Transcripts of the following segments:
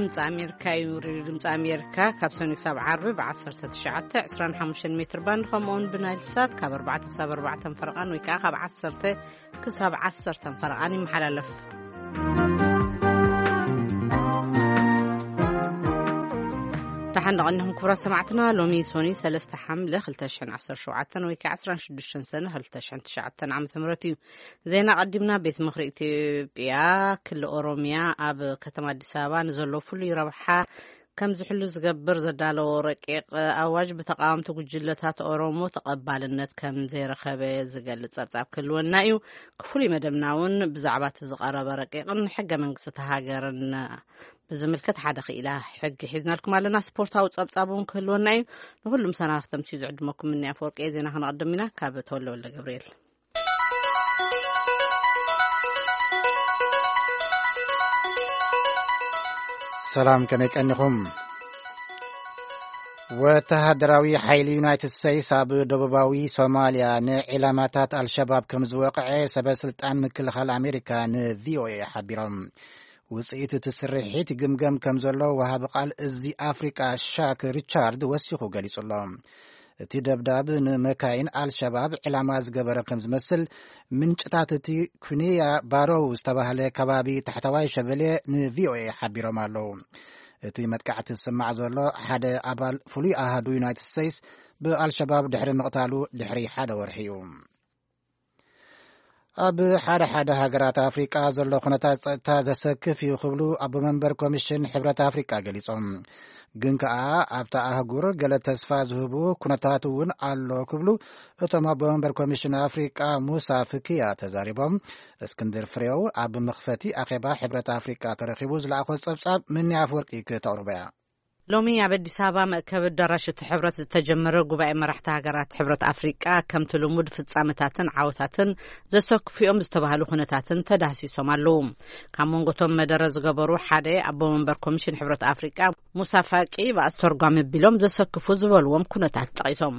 ድምፂ ኣሜሪካ እዩ። ሬድዮ ድምፂ ኣሜሪካ ካብ ሰኑይ ክሳብ ዓርቢ ብ19፣ 25 ሜትር ባንድ፣ ከምኡውን ብናይል ሳት ካብ ኣርባዕተ ክሳብ ኣርባዕተ ፈረቓን ወይ ከዓ ካብ ዓሰርተ ክሳብ ዓሰርተ ፈረቓን ይመሓላለፍ። ደሓን ደቐንኹም ክቡራት ሰማዕትና። ሎሚ ሶኒ ሰለስተ ሓምለ ክልተ ሽሕን ዓሰርተ ሸውዓተን ወይ ከዓ ዕስራን ሽዱሽተን ሰነ ክልተ ሽሕን ትሽዓተን ዓመተ ምህረት እዩ። ዜና ቀዲምና። ቤት ምኽሪ ኢትዮጵያ ክልል ኦሮሚያ ኣብ ከተማ ኣዲስ ኣበባ ንዘሎ ፍሉይ ረብሓ ከም ዝሕሉ ዝገብር ዘዳለዎ ረቂቕ ኣዋጅ ብተቃወምቲ ጉጅለታት ኦሮሞ ተቐባልነት ከም ዘይረኸበ ዝገልጽ ጸብጻብ ክህልወና እዩ። ክፍሉይ መደብና እውን ብዛዕባ እቲ ዝቐረበ ረቂቕን ሕገ መንግስቲ እታ ሃገርን ብዝምልከት ሓደ ክኢላ ሕጊ ሒዝናልኩም ኣለና። ስፖርታዊ ጸብጻብ እውን ክህልወና እዩ። ንኹሉም ሰናኽተምቲ ዝዕድመኩም ምኒ ኣፈወርቂ። ዜና ክነቐድም ኢና ካብ ተወልደ ወልደ ገብርኤል። ሰላም፣ ከመይ ቀኒኹም? ወተሃደራዊ ሓይሊ ዩናይትድ ስቴትስ ኣብ ደቡባዊ ሶማልያ ንዒላማታት ኣልሸባብ ከም ዝወቕዐ ሰበ ስልጣን ምክልኻል ኣሜሪካ ን ቪ ኦ ኤ ሓቢሮም። ውጽኢት እቲ ስርሒት ይግምገም ከም ዘሎ ወሃቢ ቃል እዚ ኣፍሪቃ ሻክ ሪቻርድ ወሲኹ ገሊጹ ኣሎ። እቲ ደብዳብ ንመካይን ኣልሸባብ ዕላማ ዝገበረ ከም ዝመስል ምንጭታት እቲ ኩኒያ ባሮው ዝተባህለ ከባቢ ታሕተዋይ ሸበሌ ን ቪ ኦ ኤ ሓቢሮም ኣለዉ። እቲ መጥቃዕቲ ዝስማዕ ዘሎ ሓደ ኣባል ፍሉይ ኣሃዱ ዩናይትድ ስቴትስ ብኣልሸባብ ድሕሪ ምቕታሉ ድሕሪ ሓደ ወርሒ እዩ። ኣብ ሓደ ሓደ ሃገራት ኣፍሪቃ ዘሎ ኩነታት ጸጥታ ዘሰክፍ እዩ ክብሉ ኣቦ መንበር ኮሚሽን ሕብረት ኣፍሪቃ ገሊጾም። ግን ከኣ ኣብታ ኣህጉር ገለ ተስፋ ዝህቡ ኩነታት እውን ኣሎ ክብሉ እቶም ኣቦ መንበር ኮሚሽን ኣፍሪቃ ሙሳ ፍክያ ተዛሪቦም። እስክንድር ፍሬው ኣብ መኽፈቲ ኣኼባ ሕብረት ኣፍሪቃ ተረኺቡ ዝለኣኾ ጸብጻብ ምኒ ኣፍወርቂ ክተቕርቦ እያ። ሎሚ ኣብ ኣዲስ ኣበባ መእከቢ ኣዳራሽ እቲ ሕብረት ዝተጀመረ ጉባኤ መራሕቲ ሃገራት ሕብረት ኣፍሪቃ ከምቲ ልሙድ ፍጻመታትን ዓወታትን ዘሰክፉኦም ዝተባህሉ ኩነታትን ተዳህሲሶም ኣለዉ። ካብ መንጎቶም መደረ ዝገበሩ ሓደ ኣቦ መንበር ኮሚሽን ሕብረት ኣፍሪቃ ሙሳ ፋቂ ብኣስተርጓሚ ቢሎም ዘሰክፉ ዝበልዎም ኩነታት ጠቒሶም።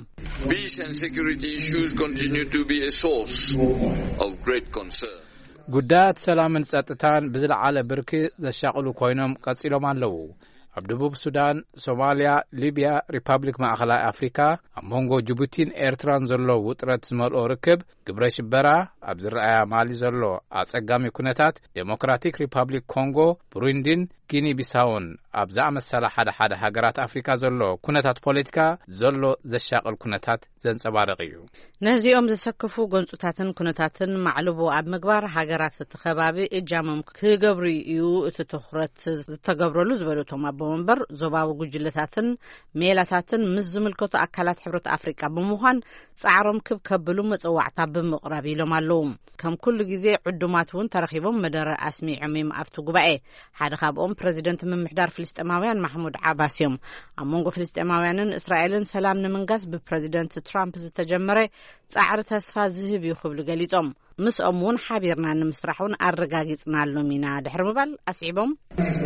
Peace and security issues continue to be a source of great concern. ጉዳያት ሰላምን ጸጥታን ብዝለዓለ ብርኪ ዘሻቕሉ ኮይኖም ቀጺሎም ኣለዉ። ኣብ ደቡብ ሱዳን፣ ሶማልያ፣ ሊብያ፣ ሪፓብሊክ ማእኸላይ ኣፍሪካ፣ ኣብ መንጎ ጅቡቲን ኤርትራን ዘሎ ውጥረት ዝመልኦ ርክብ፣ ግብረ ሽበራ፣ ኣብ ዝረኣያ ማሊ ዘሎ ኣጸጋሚ ኩነታት፣ ዴሞክራቲክ ሪፓብሊክ ኮንጎ፣ ብሩንዲን ጊኒ ቢሳውን ኣብ ዝኣመሰላ ሓደ ሓደ ሃገራት ኣፍሪካ ዘሎ ኩነታት ፖለቲካ ዘሎ ዘሻቕል ኩነታት ዘንጸባርቕ እዩ። ነዚኦም ዘሰክፉ ጎንጹታትን ኩነታትን ማዕልቦ ኣብ ምግባር ሃገራት እቲ ከባቢ እጃሞም ክገብሩ እዩ እቲ ትኹረት ዝተገብረሉ ዝበሉ እቶም ኣቦ መንበር፣ ዞባዊ ጉጅለታትን ሜላታትን ምስ ዝምልከቱ ኣካላት ሕብረት ኣፍሪቃ ብምዃን ጻዕሮም ክብ ከብሉ መጸዋዕታ ብምቕራብ ኢሎም ኣለዉ። ከም ኩሉ ግዜ ዕዱማት እውን ተረኺቦም መደረ ኣስሚዖም እዮም ኣብቲ ጉባኤ። ሓደ ካብኦም ፕረዚደንት ምምሕዳር ፍልስጤማውያን ማሕሙድ ዓባስ እዮም። ኣብ መንጎ ፍልስጤማውያንን እስራኤልን ሰላም ንምንጋስ ብፕረዚደንት ትራምፕ ዝተጀመረ ጻዕሪ ተስፋ ዝህብ እዩ ክብሉ ገሊጾም። ምስኦም እውን ሓቢርና ንምስራሕ እውን ኣረጋጊጽና ኣሎም ኢና ድሕሪ ምባል ኣስዒቦም።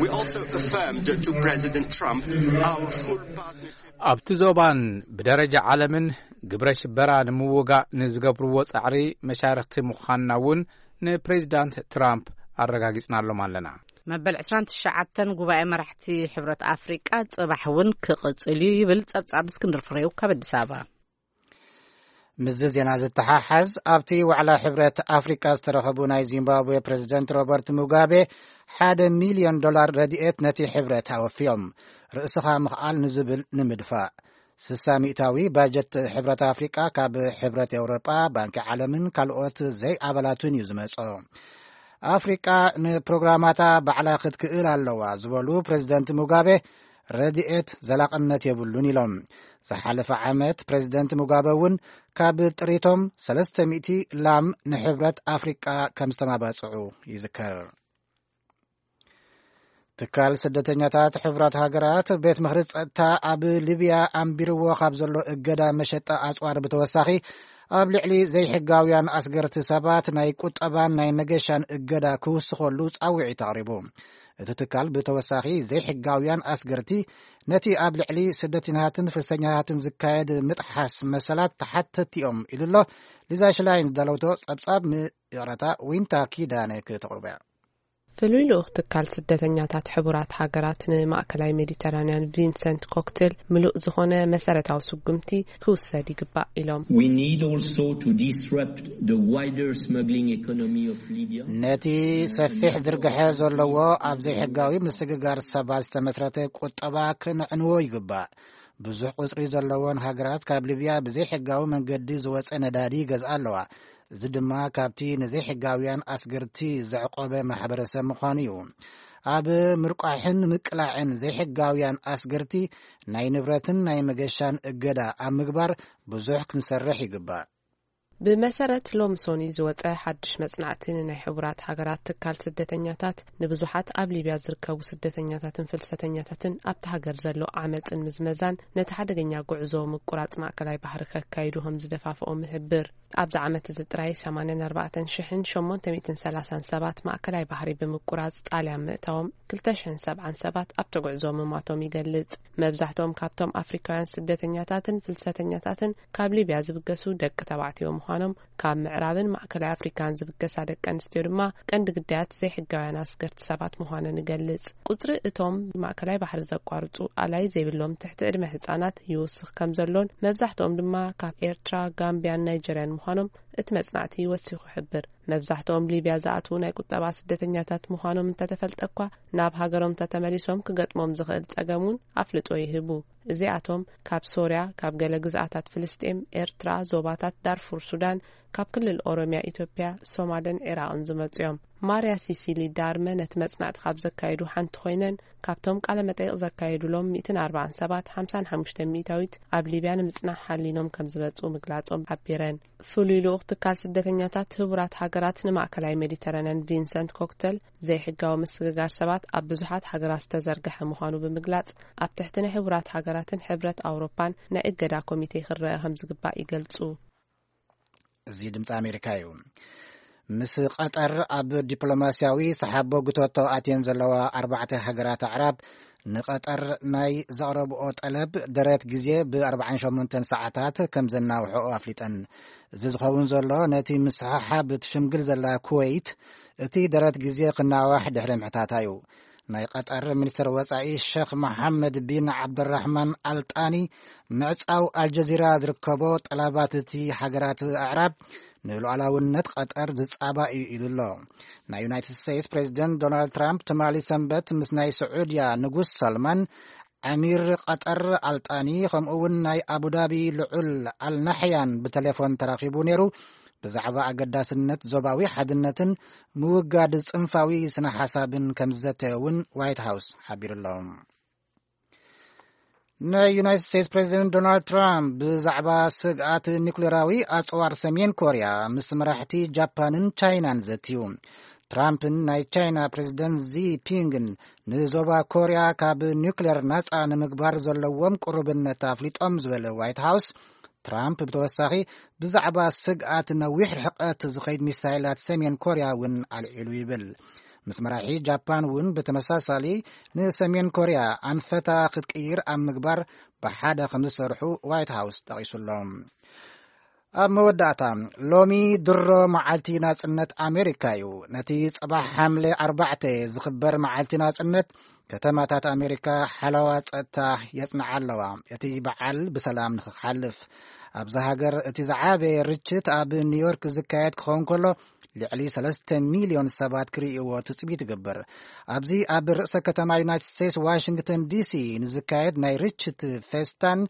We also affirmed to President Trump our full partnership. ኣብቲ ዞባን ብደረጃ ዓለምን ግብረ ሽበራ ንምውጋእ ንዝገብርዎ ጻዕሪ መሻርክቲ ምዃንና እውን ንፕሬዚዳንት ትራምፕ ኣረጋጊጽናሎም ኣለና። መበል ዕስራን ትሽዓተን ጉባኤ መራሕቲ ሕብረት ኣፍሪቃ ጽባሕ እውን ክቕጽል እዩ ይብል ጸብጻብ እስክንድር ፍሬው ካብ ኣዲስ ኣበባ። ምስዚ ዜና ዝተሓሓዝ፣ ኣብቲ ዋዕላ ሕብረት ኣፍሪቃ ዝተረኸቡ ናይ ዚምባብዌ ፕሬዚደንት ሮበርት ሙጋቤ ሓደ ሚልዮን ዶላር ረድኤት ነቲ ሕብረት ኣወፍዮም። ርእስኻ ምኽኣል ንዝብል ንምድፋእ፣ ስሳ ሚእታዊ ባጀት ሕብረት ኣፍሪቃ ካብ ሕብረት ኤውሮጳ፣ ባንኪ ዓለምን ካልኦት ዘይኣባላቱን እዩ ዝመጾ። ኣፍሪቃ ንፕሮግራማታ ባዕላ ክትክእል ኣለዋ ዝበሉ ፕሬዚደንት ሙጋቤ፣ ረድኤት ዘላቕነት የብሉን ኢሎም። ዝሓለፈ ዓመት ፕሬዚደንት ሙጋበ እውን ካብ ጥሪቶም ሰለስተ ሚእቲ ላም ንሕብረት ኣፍሪቃ ከም ዝተማባጽዑ ይዝከር። ትካል ስደተኛታት ሕቡራት ሃገራት ቤት ምኽሪ ጸጥታ ኣብ ሊብያ ኣንቢርዎ ካብ ዘሎ እገዳ መሸጣ ኣጽዋር ብተወሳኺ፣ ኣብ ልዕሊ ዘይሕጋውያን ኣስገርቲ ሰባት ናይ ቁጠባን ናይ መገሻን እገዳ ክውስኸሉ ጻውዒት ኣቕሪቡ። እቲ ትካል ብተወሳኺ ዘይሕጋውያን ኣስገርቲ ነቲ ኣብ ልዕሊ ስደተኛታትን ፍልሰተኛታትን ዝካየድ ምጥሓስ መሰላት ተሓተቲ እዮም ኢሉ ኣሎ። ሊዛ ሽላይን ዝዳለውቶ ጸብጻብ ም-፣ ይቕረታ፣ ዊንታ ኪዳነ ክተቕርቦ እያ። ፍሉይ ልኡኽ ትካል ስደተኛታት ሕቡራት ሃገራት ንማእከላይ ሜዲተራንያን ቪንሰንት ኮክትል፣ ምሉእ ዝኾነ መሰረታዊ ስጉምቲ ክውሰድ ይግባእ ኢሎም። We need also to disrupt the wider smuggling economy of Libya. ነቲ ሰፊሕ ዝርግሐ ዘለዎ ኣብ ዘይሕጋዊ ምስግጋር ሰባት ዝተመስረተ ቁጠባ ክንዕንዎ ይግባእ። ብዙሕ ቁጽሪ ዘለዎን ሃገራት ካብ ሊብያ ብዘይሕጋዊ መንገዲ ዝወጸ ነዳዲ ይገዝኣ ኣለዋ። እዚ ድማ ካብቲ ንዘይሕጋውያን ኣስገርቲ ዘዕቆበ ማሕበረሰብ ምዃኑ እዩ። ኣብ ምርቋሕን ምቅላዕን ዘይሕጋውያን ኣስገርቲ ናይ ንብረትን ናይ መገሻን እገዳ ኣብ ምግባር ብዙሕ ክንሰርሕ ይግባእ። ብመሰረት ሎሚ ሶኒ ዝወጸ ሓድሽ መጽናዕቲ፣ ንናይ ሕቡራት ሃገራት ትካል ስደተኛታት ንብዙሓት ኣብ ሊብያ ዝርከቡ ስደተኛታትን ፍልሰተኛታትን ኣብቲ ሃገር ዘሎ ዓመጽን ምዝመዛን ነቲ ሓደገኛ ጉዕዞ ምቁራጽ ማእከላይ ባሕሪ ከካይዱ ከም ዝደፋፍኦም ይሕብር። ኣብዚ ዓመት እዚ ጥራይ ሰማንያን ኣርባዕተን ሽሕን ሸሞንተ ሚእትን ሰላሳን ሰባት ማእከላይ ባሕሪ ብምቁራጽ ጣልያን ምእታዎም፣ ክልተ ሽሕን ሰብዓን ሰባት ኣብቲ ጉዕዞ ምማቶም ይገልጽ። መብዛሕትኦም ካብቶም ኣፍሪካውያን ስደተኛታትን ፍልሰተኛታትን ካብ ሊብያ ዝብገሱ ደቂ ተባዕትዮ ምዃኖም፣ ካብ ምዕራብን ማእከላይ ኣፍሪካን ዝብገሳ ደቂ ኣንስትዮ ድማ ቀንዲ ግዳያት ዘይሕጋውያን ኣስገርቲ ሰባት ምዃነን ይገልጽ። ቁጽሪ እቶም ማእከላይ ባሕሪ ዘቋርጹ ኣላይ ዘይብሎም ትሕቲ ዕድመ ህጻናት ይውስኽ ከም ዘሎን፣ መብዛሕትኦም ድማ ካብ ኤርትራ፣ ጋምቢያን ናይጀርያን ምዃኖም እቲ መጽናዕቲ ወሲኹ ይሕብር። መብዛሕትኦም ሊብያ ዝኣትዉ ናይ ቁጠባ ስደተኛታት ምዃኖም እንተተፈልጠ እኳ፣ ናብ ሃገሮም እንተተመሊሶም ክገጥሞም ዝኽእል ጸገም እውን ኣፍልጦ ይህቡ። እዚኣቶም ካብ ሶርያ፣ ካብ ገለ ግዝኣታት ፍልስጤም፣ ኤርትራ፣ ዞባታት ዳርፉር ሱዳን፣ ካብ ክልል ኦሮሚያ፣ ኢትዮጵያ፣ ሶማልን ዒራቕን ዝመጹ እዮም። ማርያ ሲሲሊ ዳርመ ነቲ መጽናዕቲ ካብ ዘካየዱ ሓንቲ ኮይነን፣ ካብቶም ቃለ መጠይቕ ዘካየዱሎም ሚእትን ኣርባዓን ሰባት፣ ሓምሳን ሓሙሽተ ሚእታዊት ኣብ ሊብያ ንምጽናሕ ሓሊኖም ከም ዝመጹ ምግላጾም ሓቢረን። ፍሉይ ልኡኽ ትካል ስደተኛታት ህቡራት ሃገራት ንማእከላይ ሜዲተራንያን ቪንሰንት ኮክተል፣ ዘይሕጋዊ ምስግጋር ሰባት ኣብ ብዙሓት ሃገራት ዝተዘርግሐ ምዃኑ ብምግላጽ፣ ኣብ ትሕቲ ናይ ህቡራት ሃገራትን ሕብረት ኣውሮፓን ናይ እገዳ ኮሚቴ ክረአ ከም ዝግባእ ይገልጹ። እዚ ድምፂ ኣሜሪካ እዩ። ምስ ቀጠር ኣብ ዲፕሎማስያዊ ሰሓቦ ግቶቶ ኣትየን ዘለዋ ኣርባዕተ ሃገራት ኣዕራብ፣ ንቐጠር ናይ ዘቕረብኦ ጠለብ ደረት ግዜ ብ ኣርባዓን ሸሞንተን ሰዓታት ከም ዘናውሐኦ ኣፍሊጠን። እዚ ዝኸውን ዘሎ፣ ነቲ ምስሕሓብ ትሽምግል ዘላ ኩወይት፣ እቲ ደረት ግዜ ክናዋሕ ድሕሪ ምሕታታ እዩ። ናይ ቀጠር ሚኒስትር ወጻኢ ሸኽ መሓመድ ቢን ዓብደራሕማን ኣልጣኒ፣ ምዕጻው ኣልጀዚራ ዝርከቦ ጠላባት እቲ ሃገራት ኣዕራብ ንሉዓላውነት ቀጠር ዝጻባእ እዩ ኢሉ ኣሎ። ናይ ዩናይትድ ስቴትስ ፕሬዚደንት ዶናልድ ትራምፕ ትማሊ ሰንበት ምስ ናይ ስዑድያ ንጉስ ሰልማን፣ ኣሚር ቀጠር ኣልጣኒ፣ ከምኡ እውን ናይ ኣቡዳቢ ልዑል ኣልናሕያን ብቴሌፎን ተራኺቡ ነይሩ። ብዛዕባ ኣገዳስነት ዞባዊ ሓድነትን ምውጋድ ጽንፋዊ ስነ ሓሳብን ከም ዝዘተየ እውን ዋይት ሃውስ ሓቢሩ ኣሎ። ናይ ዩናይትድ ስቴትስ ፕሬዚደንት ዶናልድ ትራምፕ ብዛዕባ ስግኣት ኒኩሌራዊ ኣጽዋር ሰሜን ኮርያ ምስ መራሕቲ ጃፓንን ቻይናን ዘትዩ። ትራምፕን ናይ ቻይና ፕሬዚደንት ዚ ፒንግን ንዞባ ኮርያ ካብ ኒኩሌር ናጻ ንምግባር ዘለዎም ቅሩብነት ኣፍሊጦም ዝበለ ዋይት ሃውስ፣ ትራምፕ ብተወሳኺ ብዛዕባ ስግኣት ነዊሕ ርሕቀት ዝኸይድ ሚሳይላት ሰሜን ኮርያ እውን ኣልዒሉ ይብል። ምስ መራሒ ጃፓን እውን ብተመሳሳሊ ንሰሜን ኮርያ ኣንፈታ ክትቅይር ኣብ ምግባር ብሓደ ከም ዝሰርሑ ዋይት ሃውስ ጠቒሱ ኣሎ። ኣብ መወዳእታ፣ ሎሚ ድሮ መዓልቲ ናጽነት ኣሜሪካ እዩ። ነቲ ጽባሕ ሓምለ ኣርባዕተ ዝኽበር መዓልቲ ናጽነት፣ ከተማታት ኣሜሪካ ሓለዋ ጸጥታ የጽንዓ ኣለዋ፣ እቲ በዓል ብሰላም ንኽሓልፍ። ኣብዛ ሃገር እቲ ዝዓበየ ርችት ኣብ ኒውዮርክ ዝካየድ ክኸውን ከሎ፣ ልዕሊ ሰለስተ ሚልዮን ሰባት ክርእይዎ ትጽቢት ይግበር። ኣብዚ ኣብ ርእሰ ከተማ ዩናይትድ ስቴትስ ዋሽንግተን ዲሲ ንዝካየድ ናይ ርችት ፌስታን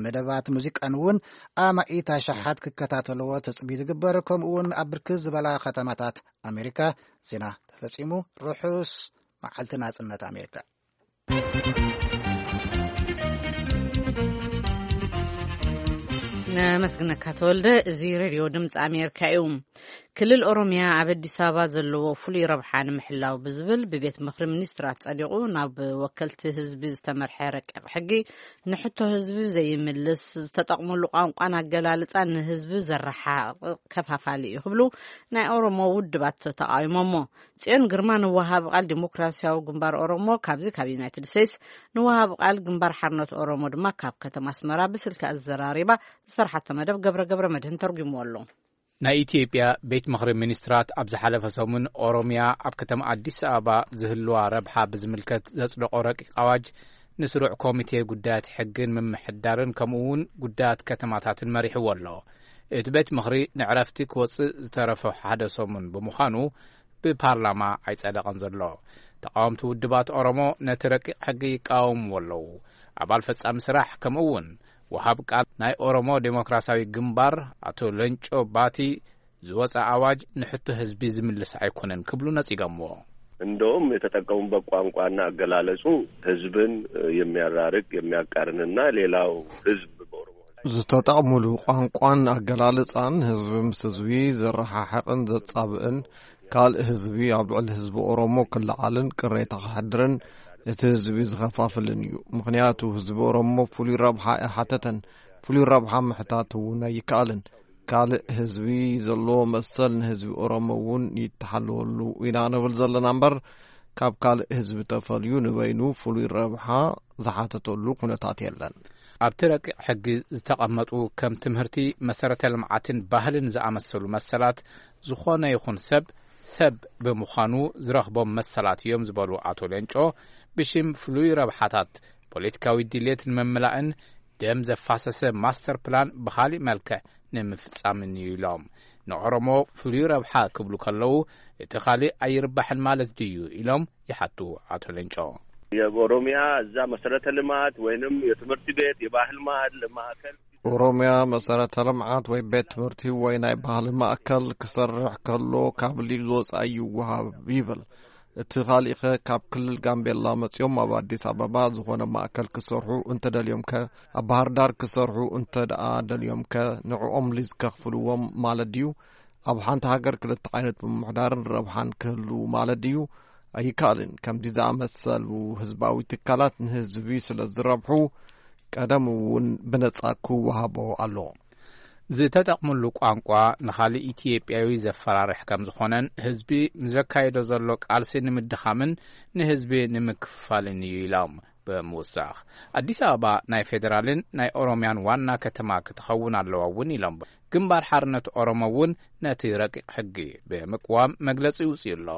መደባት ሙዚቃን እውን ኣማኢት ኣሽሓት ክከታተልዎ ትጽቢት ይግበር። ከምኡ እውን ኣብ ብርክት ዝበላ ከተማታት ኣሜሪካ። ዜና ተፈጺሙ። ርሑስ መዓልቲ ናጽነት ኣሜሪካ። ነመስግነካ ተወልደ። እዚ ሬድዮ ድምፂ ኣሜሪካ እዩ። ክልል ኦሮሚያ ኣብ ኣዲስ ኣበባ ዘለዎ ፍሉይ ረብሓ ንምሕላው ብዝብል ብቤት ምኽሪ ሚኒስትራት ጸዲቑ ናብ ወከልቲ ህዝቢ ዝተመርሐ ረቂቕ ሕጊ፣ ንሕቶ ህዝቢ ዘይምልስ፣ ዝተጠቕመሉ ቋንቋን ኣገላልጻን ንህዝቢ ዘረሓቕቕ ከፋፋሊ እዩ ክብሉ ናይ ኦሮሞ ውድባት ተቃዊሞሞ። ጽዮን ግርማ ንወሃቢ ቃል ዲሞክራሲያዊ ግንባር ኦሮሞ ካብዚ ካብ ዩናይትድ ስቴትስ፣ ንወሃቢ ቃል ግንባር ሓርነት ኦሮሞ ድማ ካብ ከተማ ኣስመራ ብስልኪ ኣዘራሪባ ዝሰርሓቶ መደብ ገብረ ገብረ መድህን ተርጉምዎ ኣሎ። ናይ ኢትዮጵያ ቤት ምኽሪ ሚኒስትራት ኣብ ዝሓለፈ ሰሙን ኦሮሚያ ኣብ ከተማ ኣዲስ ኣበባ ዝህልዋ ረብሓ ብዝምልከት ዘጽደቖ ረቂቕ ኣዋጅ ንስሩዕ ኮሚቴ ጉዳያት ሕግን ምምሕዳርን ከምኡ እውን ጉዳያት ከተማታትን መሪሕዎ ኣሎ። እቲ ቤት ምኽሪ ንዕረፍቲ ክወጽእ ዝተረፈ ሓደ ሰሙን ብምዃኑ ብፓርላማ ኣይጸደቐን ዘሎ። ተቃወምቲ ውድባት ኦሮሞ ነቲ ረቂቕ ሕጊ ይቃወምዎ ኣለዉ። ኣባል ፈጻሚ ስራሕ ከምኡ እውን ወሃብ ቃል ናይ ኦሮሞ ዴሞክራሲያዊ ግንባር ኣቶ ለንጮ ባቲ ዝወፀ ኣዋጅ ንሕቶ ህዝቢ ዝምልስ ኣይኮነን ክብሉ ነፂጎምዎ። እንደውም የተጠቀሙበት ቋንቋና አገላለጹ ህዝብን የሚያራርቅ የሚያቃርንና ሌላው ህዝብ በኦሮሞ ዝተጠቕሙሉ ቋንቋን ኣገላልጻን ህዝቢ ምስ ህዝቢ ዘረሓሕቕን ዘጻብእን ካልእ ህዝቢ ኣብ ልዕሊ ህዝቢ ኦሮሞ ክለዓልን ቅሬታ ክሕድርን እቲ ህዝቢ ዝኸፋፍልን እዩ። ምኽንያቱ ህዝቢ ኦሮሞ ፍሉይ ረብሓ ኣይሓተተን፣ ፍሉይ ረብሓ ምሕታት እውን ኣይከኣልን። ካልእ ህዝቢ ዘለዎ መሰል ንህዝቢ ኦሮሞ እውን ይተሓለወሉ ኢና ንብል ዘለና እምበር ካብ ካልእ ህዝቢ ተፈልዩ ንበይኑ ፍሉይ ረብሓ ዝሓተተሉ ኩነታት የለን። ኣብቲ ረቂቕ ሕጊ ዝተቐመጡ ከም ትምህርቲ፣ መሰረተ ልምዓትን ባህልን ዝኣመሰሉ መሰላት ዝኾነ ይኹን ሰብ ሰብ ብምዃኑ ዝረኽቦም መሰላት እዮም ዝበሉ ኣቶ ሌንጮ፣ ብሽም ፍሉይ ረብሓታት ፖለቲካዊ ድሌት ንምምላእን ደም ዘፋሰሰ ማስተር ፕላን ብኻሊእ መልክዕ ንምፍጻምን እዩ ኢሎም። ንኦሮሞ ፍሉይ ረብሓ ክብሉ ከለዉ እቲ ኻሊእ ኣይርባሕን ማለት ድዩ ኢሎም ይሓቱ ኣቶ ሌንጮ። የኦሮሚያ እዛ መሰረተ ልማት ወይንም የትምህርት ቤት የባህል ማዕከል ኦሮሚያ መሰረተ ልምዓት ወይ ቤት ትምህርቲ ወይ ናይ ባህሊ ማእከል ክሰርሕ ከሎ ካብ ሊዝ ወፃኢ ይወሃብ ይብል። እቲ ካሊእኸ ካብ ክልል ጋምቤላ መፂኦም ኣብ ኣዲስ ኣበባ ዝኾነ ማእከል ክሰርሑ እንተደልዮምከ ኣብ ባህር ዳር ክሰርሑ እንተ ደኣ ደልዮምከ ንዕኦም ሊዝ ከኽፍልዎም ማለት ድዩ? ኣብ ሓንቲ ሃገር ክልተ ዓይነት ምምሕዳርን ረብሓን ክህሉ ማለት ድዩ? ኣይከኣልን። ከምዚ ዝኣመሰሉ ህዝባዊ ትካላት ንህዝቢ ስለ ዝረብሑ ቀደም እውን ብነጻ ክወሃቦ ኣለዎ። ዝተጠቕምሉ ቋንቋ ንኻልእ ኢትዮጵያዊ ዘፈራርሕ ከም ዝኾነን ህዝቢ ንዘካየዶ ዘሎ ቃልሲ ንምድኻምን ንህዝቢ ንምክፍፋልን እዩ ኢሎም ብምውሳኽ ኣዲስ ኣበባ ናይ ፌዴራልን ናይ ኦሮሚያን ዋና ከተማ ክትኸውን ኣለዋ እውን ኢሎም። ግንባር ሓርነት ኦሮሞ እውን ነቲ ረቂቕ ሕጊ ብምቅዋም መግለጺ ይውፅእ ኣሎ።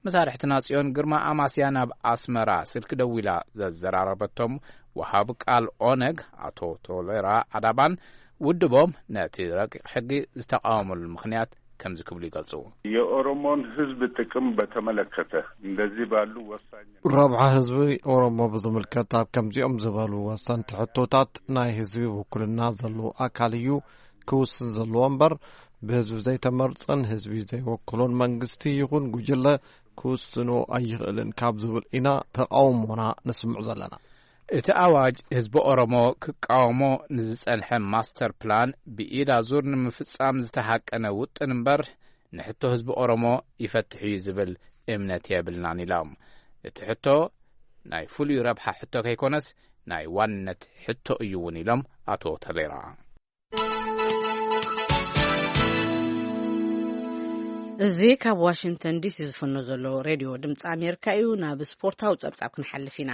መሳርሕትና ጽዮን ግርማ ኣማስያ ናብ ኣስመራ ስልኪ ደዊላ ዘዘራረበቶም ወሃብ ቃል ኦነግ ኣቶ ቶሌራ ኣዳባን ውድቦም ነቲ ረቂቕ ሕጊ ዝተቃወመሉ ምኽንያት ከምዚ ክብሉ ይገልጹ። የኦሮሞን ህዝብ ጥቅም በተመለከተ እንደዚህ ባሉ ወሳኝ ረብሓ ህዝቢ ኦሮሞ ብዝምልከት ኣብ ከምዚኦም ዝበሉ ወሰንቲ ሕቶታት ናይ ህዝቢ ውክልና ዘለዎ ኣካል እዩ ክውስን ዘለዎ እምበር ብህዝቢ ዘይተመርጸን ህዝቢ ዘይወክሎን መንግስቲ ይኹን ጉጅለ ክውስኖ ኣይኽእልን ካብ ዝብል ኢና ተቃውሞና ነስምዕ ዘለና። እቲ ኣዋጅ ህዝቢ ኦሮሞ ክቃወሞ ንዝጸንሐ ማስተር ፕላን ብኢድ ኣዙር ንምፍጻም ዝተሃቀነ ውጥን እምበር ንሕቶ ህዝቢ ኦሮሞ ይፈትሕ እዩ ዝብል እምነት የብልናን ኢሎም። እቲ ሕቶ ናይ ፍሉይ ረብሓ ሕቶ ከይኮነስ ናይ ዋንነት ሕቶ እዩ እውን ኢሎም ኣቶ ተሌራ። እዚ ካብ ዋሽንግተን ዲሲ ዝፍኖ ዘሎ ሬድዮ ድምፂ ኣሜሪካ እዩ። ናብ ስፖርታዊ ጸብጻብ ክንሓልፍ ኢና።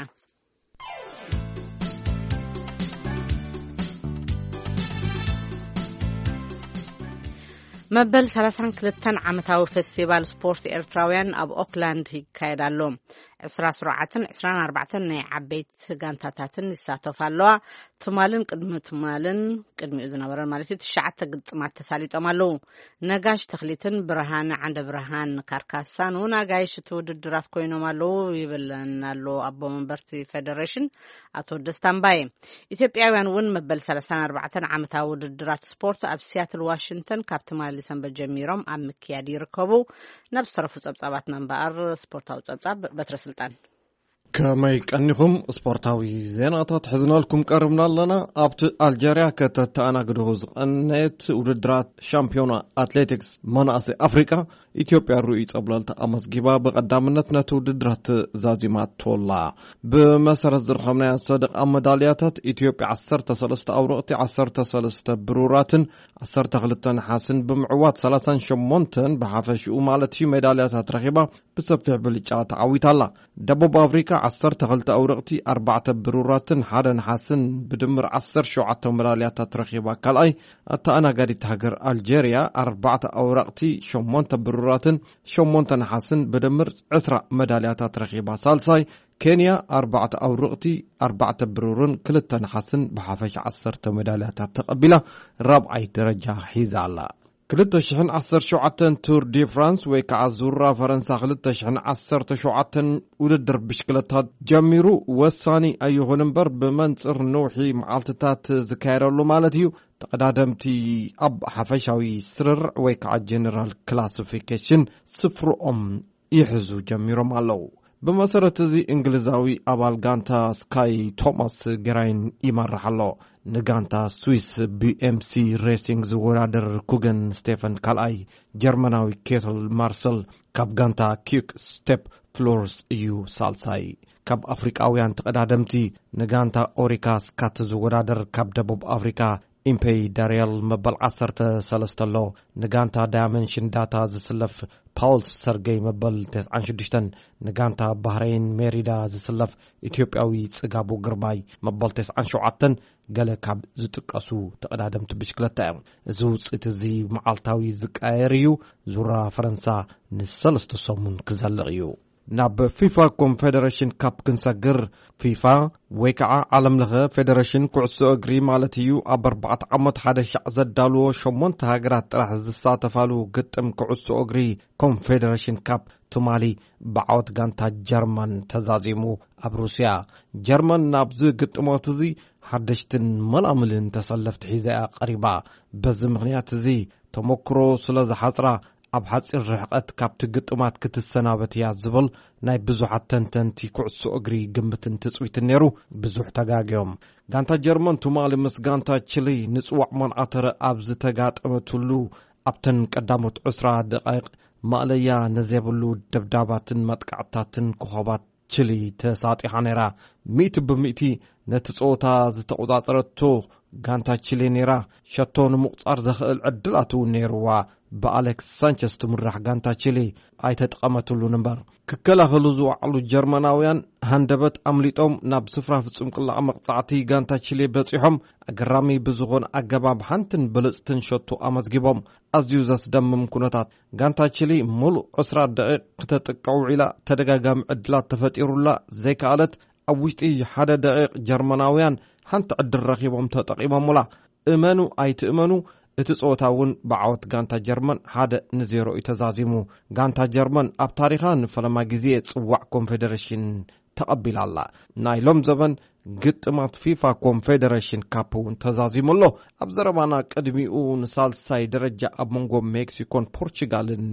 መበል ሰላሳን ክልተን ዓመታዊ ፌስቲቫል ስፖርት ኤርትራውያን ኣብ ኦክላንድ ይካየድ ኣሎ። ዕስራ ስሩዓትን ዕስራን ኣርባዕተን ናይ ዓበይቲ ጋንታታትን ይሳተፋ ኣለዋ። ትማልን ቅድሚ ትማልን ቅድሚኡ ዝነበረን ማለት እዩ ትሽዓተ ግጥማት ተሳሊጦም ኣለዉ። ነጋሽ ተኽሊትን ብርሃን ዓንደ ብርሃን ካርካሳን እውን ኣጋይሽ እቲ ውድድራት ኮይኖም ኣለዉ ይብለና ኣሎ ኣቦ መንበርቲ ፌደሬሽን ኣቶ ደስታ እምባየ። ኢትዮጵያውያን እውን መበል ሰላሳን ኣርባዕተን ዓመታዊ ውድድራት ስፖርት ኣብ ሲያትል ዋሽንግተን ካብ ትማሊ ሰንበት ጀሚሮም ኣብ ምክያድ ይርከቡ። ናብ ዝተረፉ ጸብጻባትና እምበኣር ስፖርታዊ ጸብጻብ በትረ ስልጣን። ከመይ ቀኒኹም? ስፖርታዊ ዜናታት ሒዝናልኩም ቀርብና ኣለና። ኣብቲ ኣልጀርያ ከተተኣናግድኹ ዝቐነየት ውድድራት ሻምፒዮና ኣትሌቲክስ መናእሰይ ኣፍሪቃ ኢትዮጵያ ርኡይ ጸብለልታ ኣመዝጊባ ብቐዳምነት ነቲ ውድድራት ዛዚማቶላ። ብመሰረት ዝረኸብናዮ ሰደቓ መዳልያታት ኢትዮጵያ ዓሰርተ ሰለስተ ኣውረቕቲ፣ ዓሰርተ ሰለስተ ብሩራትን ዓሰርተ ክልተ ነሓስን ብምዕዋት ሰላሳን ሸሞንተን ብሓፈሽኡ ማለት እዩ ሜዳልያታት ረኺባ ብሰፊሕ ብልጫ ተዓዊታ ኣላ። ደቡብ ኣፍሪካ ዓሰርተ ክልተ ኣውርቕቲ፣ ኣርባዕተ ብሩራትን ሓደ ነሓስን ብድምር ዓሰርተ ሸውዓተ መዳልያታት ረኺባ። ካልኣይ፣ ኣተኣናጋዲት ሃገር ኣልጀርያ ኣርባዕተ ኣውራቕቲ፣ ሸሞንተ ብሩራትን ሸሞንተ ነሓስን ብድምር ዕስራ መዳልያታት ረኺባ። ሳልሳይ፣ ኬንያ ኣርባዕተ ኣውርቕቲ፣ ኣርባዕተ ብሩርን ክልተ ነሓስን ብሓፈሻ ዓሰርተ መዳልያታት ተቐቢላ ራብዓይ ደረጃ ሒዛ ኣላ። ክልተ ሽሕን ዓሰርተ ሸውዓተን ቱር ዲ ፍራንስ ወይ ከዓ ዙራ ፈረንሳ ክልተ ሽሕን ዓሰርተ ሸውዓተን ውድድር ብሽክለታ ጀሚሩ። ወሳኒ ኣይኹን እምበር ብመንፅር ነውሒ መዓልትታት ዝካየደሉ ማለት እዩ። ተቐዳደምቲ ኣብ ሓፈሻዊ ስርርዕ ወይ ከዓ ጀነራል ክላሲፊኬሽን ስፍርኦም ይሕዙ ጀሚሮም ኣለዉ። ብመሰረት እዚ እንግሊዛዊ ኣባል ጋንታ ስካይ ቶማስ ግራይን ይመርሕ ኣሎ። ንጋንታ ስዊስ ቢኤምሲ ሬሲንግ ዝወዳደር ኩገን ስቴፈን ካልኣይ፣ ጀርመናዊ ኬትል ማርሰል ካብ ጋንታ ኪክ ስቴፕ ፍሎርስ እዩ ሳልሳይ። ካብ ኣፍሪቃውያን ተቐዳደምቲ ንጋንታ ኦሪካ ስካት ዝወዳደር ካብ ደቡብ ኣፍሪካ ኢምፔይ ዳርያል መበል ዓሰርተ ሰለስተ ኣሎ። ንጋንታ ዳያመንሽን ዳታ ዝስለፍ ፓውል ሰርገይ መበል ተስዓን ሽዱሽተን፣ ንጋንታ ባህረይን ሜሪዳ ዝስለፍ ኢትዮጵያዊ ጽጋቡ ግርማይ መበል ተስዓን ሸውዓተን ገለ ካብ ዝጥቀሱ ተቐዳደምቲ ብሽክለታ እዮም። እዚ ውጽኢት እዚ መዓልታዊ ዝቃየር እዩ። ዙራ ፈረንሳ ንሰለስተ ሰሙን ክዘልቕ እዩ። ናብ ፊፋ ኮንፌደሬሽን ካፕ ክንሰግር፣ ፊፋ ወይ ከዓ ዓለም ለኸ ፌደሬሽን ኩዕሶ እግሪ ማለት እዩ፣ ኣብ ኣርባዕተ ዓመት ሓደ ሻዕ ዘዳልዎ ሸሞንተ ሃገራት ጥራሕ ዝሳተፋሉ ግጥም ኩዕሶ እግሪ ኮንፌደሬሽን ካፕ ትማሊ ብዓወት ጋንታ ጀርመን ተዛዚሙ። ኣብ ሩስያ፣ ጀርመን ናብዚ ግጥሞት እዚ ሓደሽትን መላምልን ተሰለፍቲ ሒዛ እያ ቀሪባ። በዚ ምኽንያት እዚ ተመክሮ ስለ ዝሓጽራ፣ ኣብ ሓጺር ርሕቀት ካብቲ ግጥማት ክትሰናበት እያ ዝብል ናይ ብዙሓት ተንተንቲ ኩዕሶ እግሪ ግምትን ትጽቢትን ነይሩ። ብዙሕ ተጋግዮም። ጋንታ ጀርመን ትማሊ ምስ ጋንታ ቺሊ ንጽዋዕ መንዓተረ ኣብ ዝተጋጠመትሉ፣ ኣብተን ቀዳሞት ዕስራ ደቃይቕ ማእለያ ንዘይብሉ ደብዳባትን መጥቃዕትታትን ኮኸባት ቺሊ ተሳጢሓ ነይራ። ሚእቲ ብሚእቲ ነቲ ጸወታ ዝተቖጻጸረቶ ጋንታ ቺሊ ነይራ። ሸቶ ንምቑጻር ዘኽእል ዕድላት እውን ነይርዋ። ብኣሌክስ ሳንቸስ ትምራሕ ጋንታ ቺሊ ኣይተጠቐመትሉን እምበር፣ ክከላኸሉ ዝወዓሉ ጀርመናውያን ሃንደበት ኣምሊጦም ናብ ስፍራ ፍጹም ቅላዕ መቕጻዕቲ ጋንታ ቺሊ በጺሖም። ኣገራሚ ብዝኾነ ኣገባብ ሓንትን ብልጽትን ሸቶ ኣመዝጊቦም። ኣዝዩ ዘስደምም ኩነታት። ጋንታ ቺሊ ሙሉእ ዕስራ ደቂቕ ክተጥቅዕ ውዒላ፣ ተደጋጋሚ ዕድላት ተፈጢሩላ ዘይከኣለት። ኣብ ውሽጢ ሓደ ደቂቕ ጀርመናውያን ሓንቲ ዕድል ረኺቦም ተጠቒሞምላ። እመኑ ኣይትእመኑ፣ እቲ ጸወታ እውን ብዓወት ጋንታ ጀርመን ሓደ ንዜሮ እዩ ተዛዚሙ። ጋንታ ጀርመን ኣብ ታሪኻ ንፈለማ ግዜ ጽዋዕ ኮንፌደሬሽን ተቐቢላ ኣላ። ናይ ሎም ዘበን ግጥማት ፊፋ ኮንፌደሬሽን ካፕ እውን ተዛዚሙ ኣሎ። ኣብ ዘረባና ቅድሚኡ ንሳልሳይ ደረጃ ኣብ መንጎ ሜክሲኮን ፖርቹጋልን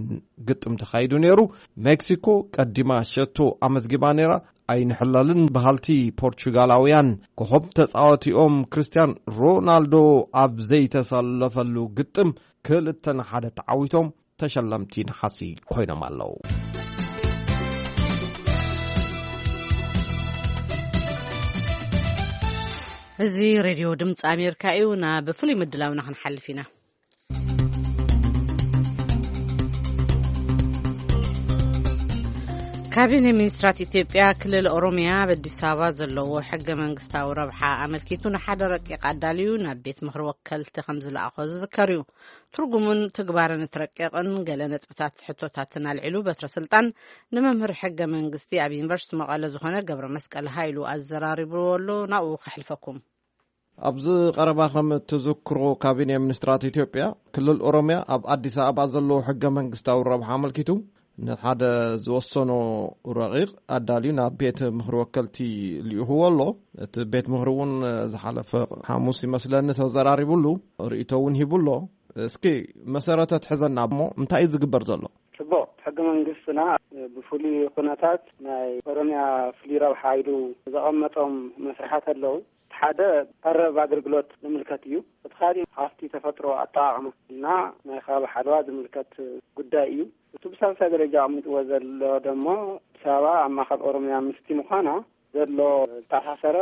ግጥም ተኻይዱ ነይሩ። ሜክሲኮ ቀዲማ ሸቶ ኣመዝጊባ ነይራ። ኣይንሕለልን በሃልቲ ፖርቹጋላውያን ኮኸብ ተጻዋቲኦም ክርስቲያን ሮናልዶ ኣብ ዘይተሰለፈሉ ግጥም ክልተ ንሓደ ተዓዊቶም ተሸለምቲ ነሓሲ ኮይኖም ኣለዉ። እዚ ሬድዮ ድምፂ ኣሜሪካ እዩ። ናብ ፍሉይ ምድላውና ክንሓልፍ ኢና። ካቢኔ ሚኒስትራት ኢትዮጵያ ክልል ኦሮሚያ ኣብ ኣዲስ ኣበባ ዘለዎ ሕገ መንግስታዊ ረብሓ ኣመልኪቱ ንሓደ ረቂቕ ኣዳልዩ ናብ ቤት ምኽሪ ወከልቲ ከም ዝለኣኾ ዝዝከር እዩ። ትርጉሙን ትግባረን እቲ ረቂቕን ገለ ነጥብታት ሕቶታትን ኣልዒሉ በትረ ስልጣን ንመምህር ሕገ መንግስቲ ኣብ ዩኒቨርሲቲ መቐለ ዝኾነ ገብረ መስቀል ሃይሉ ኣዘራሪብዎ ኣሎ። ናብኡ ከሕልፈኩም። ኣብዚ ቀረባ ከም እትዝክሮ ካቢኔ ሚኒስትራት ኢትዮጵያ ክልል ኦሮሚያ ኣብ ኣዲስ ኣበባ ዘለዎ ሕገ መንግስታዊ ረብሓ ኣመልኪቱ ንሓደ ዝወሰኖ ረቂቕ ኣዳልዩ ናብ ቤት ምኽሪ ወከልቲ ልኢኽዎ ኣሎ። እቲ ቤት ምኽሪ እውን ዝሓለፈ ሓሙስ ይመስለኒ ተዘራሪቡሉ፣ ርእይቶ እውን ሂቡ ኣሎ። እስኪ መሰረተ ትሕዘና እሞ እንታይ እዩ ዝግበር ዘሎ? ጽቡቕ። ሕገ መንግስትና ብፍሉይ ኩነታት ናይ ኦሮሚያ ፍሉይ ረብሓ ኢሉ ዘቐመጦም መስርሓት ኣለዉ። ሓደ ቀረብ ኣገልግሎት ዝምልከት እዩ። እቲ ካሊእ ሃፍቲ ተፈጥሮ ኣጠቓቕማ እና ናይ ከባቢ ሓለዋ ዝምልከት ጉዳይ እዩ። እቲ ብሳልሳይ ደረጃ ኣቐሚጥዎ ዘሎ ደሞ ኣዲስ ኣበባ ኣብ ማእከል ኦሮሚያ ምስቲ ምዃና ዘሎ ዝተኣሳሰረ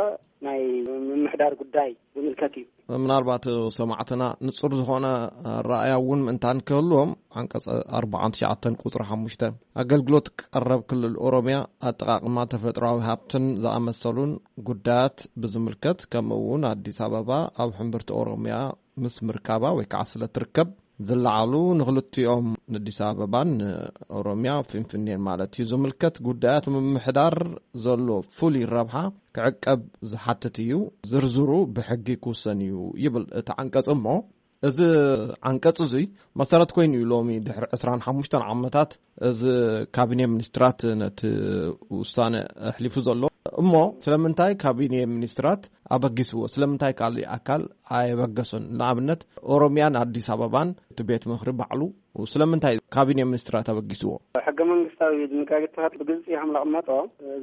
ናይ ምምሕዳር ጉዳይ ዝምልከት እዩ። ምናልባት ሰማዕትና ንጹር ዝኾነ ኣረኣእያ እውን ምእንታን ክህልዎም፣ ዓንቀጽ ኣርባዓን ትሽዓተን ቁጽሪ ሓሙሽተ፣ ኣገልግሎት ቀረብ ክልል ኦሮምያ፣ ኣጠቓቕማ ተፈጥሮኣዊ ሃብትን ዝኣመሰሉን ጉዳያት ብዝምልከት፣ ከምኡ እውን ኣዲስ ኣበባ ኣብ ሕምብርቲ ኦሮምያ ምስ ምርካባ ወይ ከዓ ስለ ትርከብ፣ ዝለዓሉ ንክልቲኦም፣ ንኣዲስ ኣበባን ንኦሮምያ ፊንፊኔን ማለት እዩ፣ ዝምልከት ጉዳያት ምምሕዳር ዘሎ ፍሉይ ረብሓ ክዕቀብ ዝሓትት እዩ። ዝርዝሩ ብሕጊ ክውሰን እዩ ይብል እቲ ዓንቀጽ። እሞ እዚ ዓንቀጽ እዙይ መሰረት ኮይኑ እዩ ሎሚ ድሕሪ ዕስራን ሓሙሽተን ዓመታት እዚ ካቢኔ ሚኒስትራት ነቲ ውሳነ ኣሕሊፉ ዘሎ። እሞ ስለምንታይ ካቢኔ ሚኒስትራት ኣበጊስዎ? ስለምንታይ ካልእ ኣካል ኣየበገሶን? ንኣብነት ኦሮምያን ኣዲስ ኣበባን እቲ ቤት ምኽሪ ባዕሉ ስለምንታይ ካቢኔ ሚኒስትራት ኣበጊስዎ? ሕገ መንግስታዊ ድንጋጌታት ብግልፂ ከም ዘቐመጦ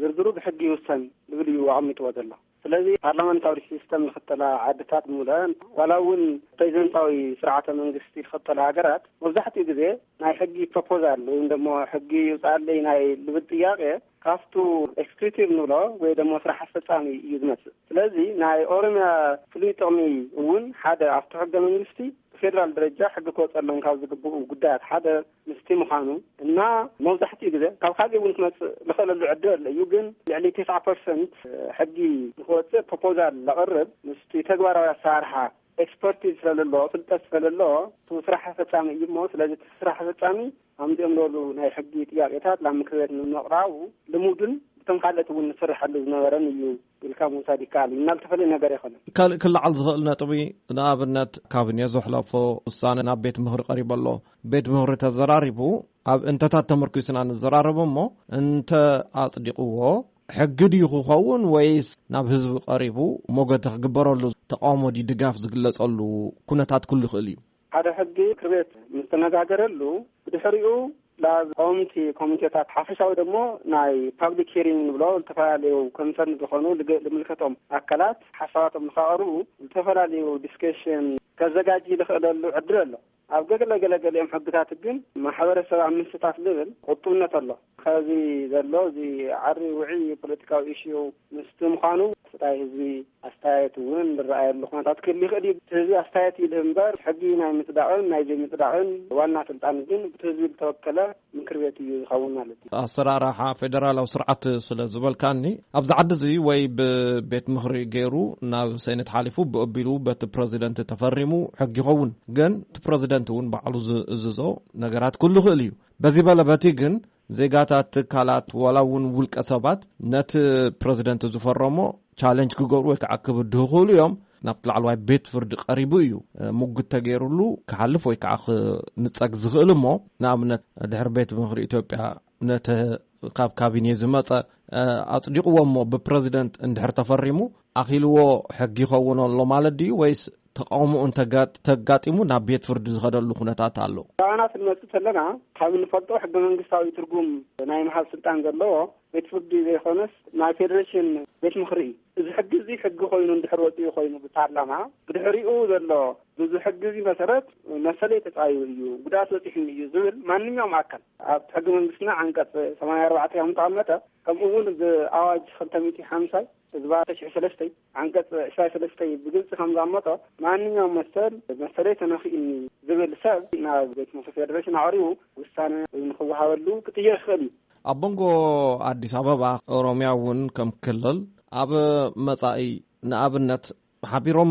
ዝርዝሩ ብሕጊ ይውሰን ዝብል እዩ ኣቐሚጥዎ ዘሎ። ስለዚ ፓርላመንታዊ ሲስተም ዝኽተላ ዓድታት ብምልአን ዋላ እውን ፕሬዚደንታዊ ስርዓተ መንግስቲ ዝኽተላ ሃገራት መብዛሕትኡ ግዜ ናይ ሕጊ ፕሮፖዛል ወይም ደሞ ሕጊ ይውፅኣለይ ናይ ልብል ጥያቄ ካብቱ ኤክስኪዩቲቭ ንብሎ ወይ ደሞ ስራሕ ኣስፈፃሚ እዩ ዝመፅእ። ስለዚ ናይ ኦሮምያ ፍሉይ ጥቕሚ እውን ሓደ ኣብቲ ሕገ መንግስቲ ብፌዴራል ደረጃ ሕጊ ክወፀሎም ካብ ዝግብኡ ጉዳያት ሓደ ምስቲ ምዃኑ እና መብዛሕትኡ ግዜ ካብ ካልእ እውን ክመፅእ ዝኽእለሉ ዕድል ኣሎ እዩ። ግን ልዕሊ ተስዓ ፐርሰንት ሕጊ ንክወፅእ ፕሮፖዛል ዘቕርብ ምስቲ ተግባራዊ ኣሰራርሓ ኤክስፐርቲዝ ስለለዎ፣ ፍልጠት ስለለዎ፣ እቲ ስራሕ ፈጻሚ እዩ እሞ፣ ስለዚ እቲ ስራሕ ፈጻሚ ኣምጺኦም ዝበሉ ናይ ሕጊ ጥያቄታት ናብ ምክር ቤት ንምቕራቡ ልሙድን ብቶም ካልኦት እውን ዝስርሐሉ ዝነበረን እዩ ኢልካ ምውሳድ ይከኣል እዩ። እና ዝተፈለየ ነገር ኣይኮነን። ካልእ ክለዓል ዝኽእል ነጥቢ፣ ንኣብነት ካቢኔ ዘሕለፎ ውሳነ ናብ ቤት ምኽሪ ቀሪቡ ኣሎ። ቤት ምኽሪ ተዘራሪቡ፣ ኣብ እንተታት ተመርኪሱና ንዘራረብ እሞ፣ እንተ ኣጽዲቕዎ፣ ሕጊ ድዩ ክኸውን ወይስ ናብ ህዝቢ ቀሪቡ ሞገተ ክግበረሉ፣ ተቃውሞ ድዩ ድጋፍ ዝግለጸሉ ኩነታት ክሉ ይኽእል እዩ? ሓደ ሕጊ ምክር ቤት ምስ ተነጋገረሉ፣ ብድሕሪኡ ናብ ቀወምቲ ኮሚቴታት ሓፈሻዊ ደግሞ ናይ ፓብሊክ ሂሪንግ ንብሎ፣ ዝተፈላለዩ ኮንሰርን ዝኾኑ ልገ-፣ ልምልከቶም ኣካላት ሓሳባቶም ንኸቕርቡ ዝተፈላለዩ ዲስከሽን ከዘጋጂ ዝኽእለሉ ዕድል ኣሎ። ኣብ ገለ ገለ ገሊኦም ሕግታት ግን ማሕበረሰብ ኣብ ምስታፍ ዝብል ቁጡብነት ኣሎ። ከዚ ዘሎ እዚ ዓሪ ውዒ ፖለቲካዊ ኢሽዩ ምስቲ ምዃኑ፣ ስታይ ህዝቢ ኣስተያየት እውን ዝረኣየሉ ኩነታት ክህሉ ይኽእል እዩ። እቲ ህዝቢ ኣስተያየት ይልህ እምበር፣ ሕጊ ናይ ምጽዳቕን ናይ ዘይምጽዳቕን ዋና ስልጣን ግን ብቲ ህዝቢ ዝተወከለ ምክር ቤት እዩ ዝኸውን ማለት እዩ። ኣሰራርሓ ፌደራላዊ ስርዓት ስለ ዝበልካኒ፣ ኣብዚ ዓዲ እዚ ወይ ብቤት ምኽሪ ገይሩ ናብ ሴኔት ሓሊፉ፣ ብኡ ኣቢሉ በቲ ፕረዚደንት ተፈሪሙ ሕጊ ይኸውን። ግን እቲ ፕረዚደንት እውን ባዕሉ ዝእዝዞ ነገራት ክህሉ ይኽእል እዩ። በዚ በለ በቲ ግን ዜጋታት፣ ትካላት፣ ዋላ እውን ውልቀ ሰባት ነቲ ፕረዚደንት ዝፈረሞ ቻለንጅ ክገብሩ ወይ ከዓ ክብድሁ ይኽእሉ እዮም። ናብቲ ላዕለዋይ ቤት ፍርዲ ቀሪቡ እዩ፣ እ፣ ሙግት ተገይሩሉ ክሓልፍ ወይ ከዓ ክንጸግ ዝኽእል። እሞ ንኣብነት ድሕሪ ቤት ምኽሪ ኢትዮጵያ ነቲ ካብ ካቢኔ ዝመጸ፣ እ፣ ኣጽዲቕዎ እሞ ብፕረዚደንት እንድሕር ተፈሪሙ ኣኺልዎ ሕጊ ይኸውን ኣሎ ማለት ድዩ ወይስ ተቃውሞኡ እንተጋ-፣ ተጋጢሙ ናብ ቤት ፍርዲ ዝኸደሉ ኩነታት ኣሎ? ብኣና ክንመጽእ ከለና፣ ካብ እንፈልጦ ሕገ መንግስታዊ ትርጉም ናይ ምሃብ ስልጣን ዘለዎ ቤት ፍርዲ ዘይኮነስ ናይ ፌዴሬሽን ቤት ምኽሪ እዩ። እዚ ሕጊ እዚ ሕጊ ኮይኑ እንድሕር ወፂኡ ኮይኑ ብፓርላማ፣ ብድሕሪኡ ዘሎ ብዙ ሕጊ እዚ መሰረት መሰለይ ተፃዩ እዩ፣ ጉድኣት በፂሑኒ እዩ ዝብል ማንኛውም ኣካል፣ ኣብ ሕገ መንግስትና ዓንቀፅ ሰማንያ ኣርባዕተ ከም ዝተቐመጠ፣ ከምኡ እውን ብኣዋጅ ክልተ ሚእቲ ሓምሳ ህዝባ ተሽሒ ሰለስተ ዓንቀፅ ዕስራ ሰለስተ ብግልፂ ከም ዘቐመጦ፣ ማንኛውም መሰል፣ መሰለይ ተነኺኡኒ ዝብል ሰብ ናብ ቤት ምኽሪ ፌዴሬሽን ኣቕሪቡ ውሳነ ንክወሃበሉ ክጥየቅ ይኽእል እዩ። ኣብ መንጎ ኣዲስ ኣበባ፣ ኦሮምያ እውን ከም ክልል ኣብ መጻኢ፣ ንኣብነት፣ ሓቢሮም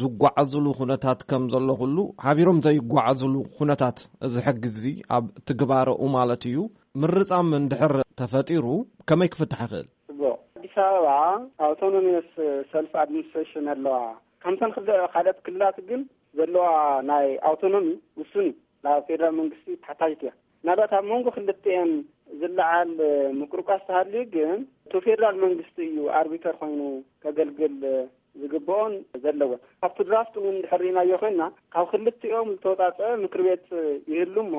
ዝጓዓዙሉ ኩነታት ከም ዘሎ ኩሉ፣ ሓቢሮም ዘይጓዓዙሉ ኩነታት እዚ ሕጊ እዚ ኣብ ትግባረኡ ማለት እዩ፣ ምርጻም እንድሕር ተፈጢሩ ከመይ ክፍታሕ ይኽእል? ጽቡቕ። ኣዲስ ኣበባ ኣውቶኖሚየስ ሰልፍ ኣድሚኒስትሬሽን ኣለዋ። ከምተን ክልተ ካልኦት ክልላት ግን ዘለዋ ናይ ኣውቶኖሚ ውሱን እዩ። ናብ ፌደራል መንግስቲ ተሓታይት እያ። ምናልባት ኣብ መንጎ ክልቲኤን ዝለዓል ምቁርቋስ ተሃልዩ ግን፣ እቲ ፌደራል መንግስቲ እዩ ኣርቢተር ኮይኑ ከገልግል ዝግብኦን ዘለዎን። ካብቲ ድራፍት እውን እንድሕር ርኢናዮ ኮይንና፣ ካብ ክልቲኦም ዝተወጻጸአ ምክር ቤት ይህሉ እሞ፣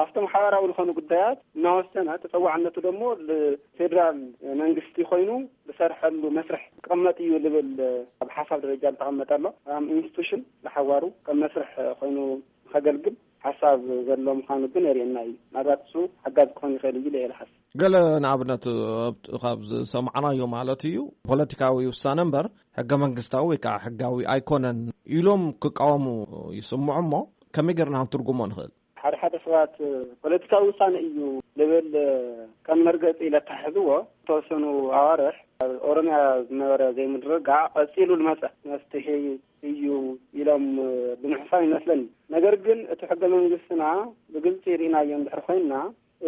ኣብቶም ሓባራዊ ዝኾኑ ጉዳያት እናወሰነ፣ ተጸዋዕነቱ ደግሞ ንፌደራል መንግስቲ ኮይኑ ዝሰርሐሉ መስርሕ ክቕመጥ እዩ ዝብል ኣብ ሓሳብ ደረጃ ዝተቐመጠ ኣሎ። ኣብ ኢንስቲቱሽን ንሓዋሩ ከም መስርሕ ኮይኑ ከገልግል ሓሳብ ዘሎ ምዃኑ ግን የርእየና እዩ። ምናልባት እሱ ሓጋዚ ክኾን ይኽእል እዩ ኢለ እየ ዝሓስብ። ገለ ንኣብነት ኣብ-፣ ካብ ዝሰማዕናዮ ማለት እዩ፣ ፖለቲካዊ ውሳነ እምበር ሕገ መንግስታዊ ወይ ከዓ ሕጋዊ ኣይኮነን ኢሎም ክቃወሙ ይስምዑ። እሞ ከመይ ጌርና ክንትርጉሞ ንኽእል? ሓደ ሓደ ሰባት ፖለቲካዊ ውሳነ እዩ ልብል ከም መርገፂ ኢለ ኣተሓሕዝዎ። ዝተወሰኑ ኣዋርሕ ኣብ ኦሮምያ ዝነበረ ዘይምርግጋዕ ቀፂሉ ዝመፀ መፍትሒ እዩ ኢሎም ብምሕሳብ ይመስለኒ። ነገር ግን እቲ ሕገ መንግስትና ብግልፂ ርኢናዮ እንድሕር ኮይንና፣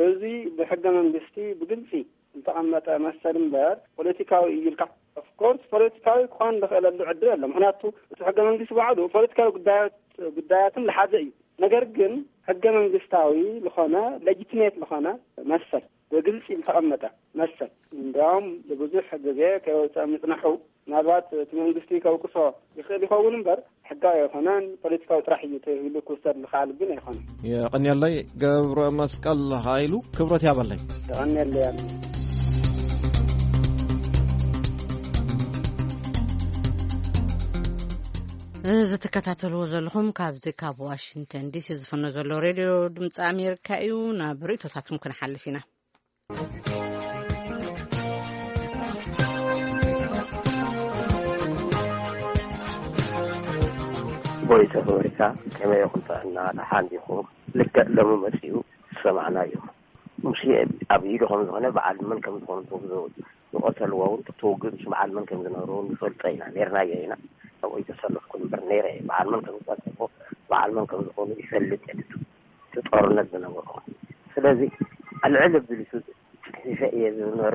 እዚ ብሕገ መንግስቲ ብግልፂ ዝተቐመጠ መሰል እምበር ፖለቲካዊ እዩ ኢልካ፣ ኦፍኮርስ ፖለቲካዊ ክኾን ዝኽእለሉ ዕድል ኣሎ። ምክንያቱ እቲ ሕገ መንግስቲ ባዕሉ ፖለቲካዊ ጉዳያት፣ ጉዳያትን ዝሓዘ እዩ። ነገር ግን ሕገ መንግስታዊ ዝኾነ፣ ሌጂቲሜት ዝኾነ መሰል ብግልፂ ዝተቐመጠ መሰል፣ እንዲያውም ብዙሕ ግዜ ከይወፀ ምፅናሑ፣ ምናልባት እቲ መንግስቲ ከውቅሶ ይኽእል ይኸውን እምበር፣ ሕጋዊ ኣይኮነን፣ ፖለቲካዊ ጥራሕ እዩ ተባሂሉ ክውሰድ ዝኽኣል ግን ኣይኮነን። የቐንየለይ ገብረ መስቀል ሃይሉ፣ ክብረት ያበለይ። የቐንየለይ። እዚ ትከታተልዎ ዘለኹም ካብዚ ካብ ዋሽንግተን ዲሲ ዝፍኖ ዘሎ ሬድዮ ድምፂ ኣሜሪካ እዩ። ናብ ርእቶታትኩም ክንሓልፍ ኢና። ቮይስ ኦፍ ኣሜሪካ፣ ከመይ ኢኹም? ጥዕና ደሓን ዲኹም? ልክዕ ሎሚ መፂኡ ዝሰማዕናዮ፣ ሙሴ ኣብ ኢዱ ከም ዝኾነ፣ በዓል መን ከም ዝኾኑ ትውግዞ፣ ዝቐተልዎ እውን ትውግዝ፣ በዓል መን ከም ዝነበሩ እውን ንፈልጦ ኢና፣ ነርናዮ ኢና። ኣብኡ ኣይተሰለፍኩን እምበር ነይረ እየ። በዓል መን ከም ዝቐተልዎ፣ በዓል መን ከም ዝኾኑ ይፈልጥ እየ። እቲ ጦርነት ዝነበሩ። ስለዚ ኣልዕል ኣቢሉ ጽሒፈ እየ ዝነበረ።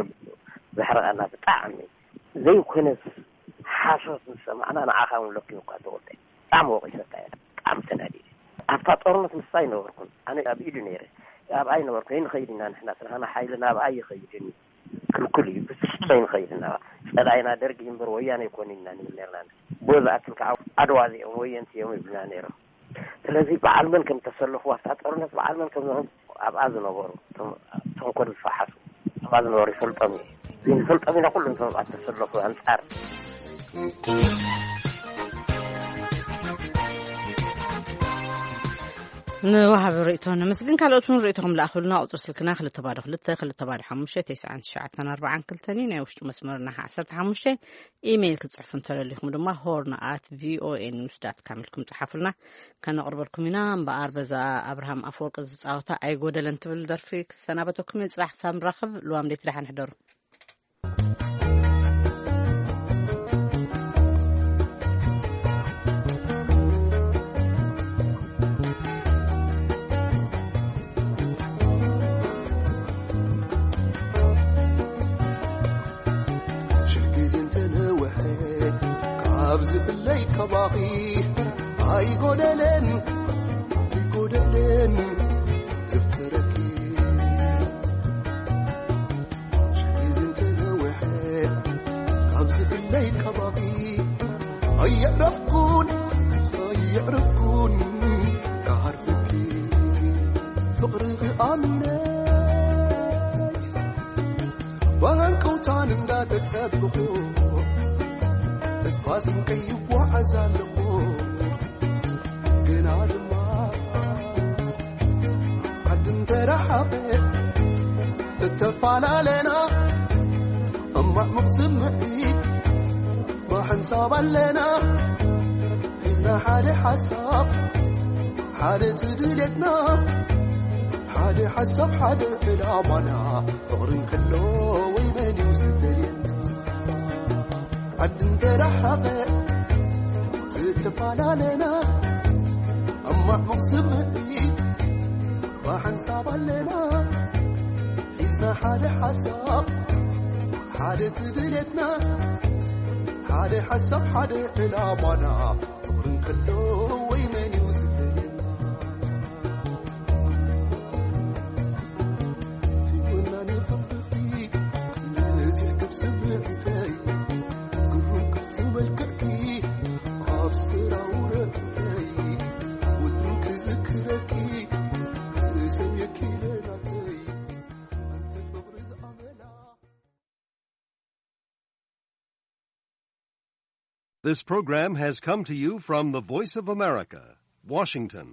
ዘሕርቐና ብጣዕሚ። ዘይኮነስ ሓሶት ምስ ሰማዕና ንዓኻ እውን ለኪሙካ ተወልደ። ብጣዕሚ ወቒሰካ እየ። ብጣዕሚ ተናዲደ። ኣብታ ጦርነት ምስኣ ኣይነበርኩን። ኣነ ኣብ ኢዱ ነይረ። ኣብኣ ኣይነበርኩን። ኣይንኸይድ ኢና ንሕና፣ ስለ ሓይልና ኣብኣ ኣይኸይድን እዩ። ክልኩል እዩ። ብፍጹም ኣይንኸይድ ኢና። ጸላኢና ደርጊ እምበር ወያነ ኣይኮኑን ኢና ንብል ነርና። ብኡ ዝኣክል ከዓ ዓድዋ እዚኦም ወየንቲ እዮም ይብሉና ነይሮም። ስለዚ በዓል መን ከም ተሰለፉ ኣብታ ጦርነት፣ በዓል መን ከም ዝኾኑ ኣብኣ ዝነበሩ፣ እቶም ተንኮል ዝፈሓሱ ኣብኣ ዝነበሩ ይፈልጦም እዩ። እዚ ንፈልጦም ኢና ኩሉ እቶም ኣብኣ ተሰለፉ ኣንጻር። ንወሃቢ ርእይቶ ነመስግን። ካልኦት እውን ርእይቶኹም ለኣኹልና። ቁጽሪ ስልክና ክልተ ባዶ ክልተ፣ ክልተ ባዶ ሓሙሽተ፣ ተስዓን ትሽዓተን ኣርባዓን ክልተን እዩ። ናይ ውሽጢ መስመርና ዓሰርተ ሓሙሽተ። ኢሜይል ክትጽሕፉ እንተደሊኹም ድማ ሆርን ኣት ቪኦኤ ኒውስ ዳት ካም ኢልኩም ጽሓፉልና፣ ከነቕርበልኩም ኢና። እምበኣር በዛ ኣብርሃም ኣፈወርቂ ዝጻወታ ኣይጎደለን ትብል ደርፊ ክሰናበተኩም እየ። ጽባሕ ክሳብ ንራኸብ፣ ልዋም ደይቲ ደሓን ሕደሩ። ሽሕ ግዜ እንተነውሐ ካብ ዝፍለይ ካባኺ ኣይጎደለን፣ ኣይጎደለን ዘፍቅረኪ። ሽሕ ግዜ እንተነውሐ ካብ ዝፍለይ ካባኺ ኣየዕረፍኩን፣ ኣየዕረፍኩን ክዓርፈኪ ፍቕርኺ ኣሚነ ብሃንቀውታን እንዳተጸበኹ ተስፋ ስንቀይ ይጓዓዝ ኣለኹ። ግና ድማ ዓዲ እንተረሓቐ ተተፈላለና፣ እማዕሙቕ ስምዒት ብሓንሳብ ኣለና። ሒዝና ሓደ ሓሳብ፣ ሓደ እቲ ድሌትና፣ ሓደ ሓሳብ ሓደ ዕላማና። ፍቕሪ እንከሎ ወይ መን እዩ ዝፈልየና? ዓዲ እንተረሓቐ ተተፈላለና፣ እማዕሙቕ ስምዒት ብሓንሳብ ኣለና። ሒዝና ሓደ ሓሳብ፣ ሓደ እቲ ድሌትና፣ ሓደ ሓሳብ ሓደ ዕላማና። ፍቕሪ እንከሎ ወይ መን እዩ ዝፈልየና? ትወና ንፍቕርኺ ነዚ ክብ ስምዒተይ፣ ግሩም ቅርጺ መልክዕኪ ኣብ ስራውረተይ፣ ወትሩ ክዝክረኪ ዝሰምየኪ ለናተይ፣ ኣንቲ ፍቕሪ ዝኣመላ። This program has come to you from the Voice of America, Washington.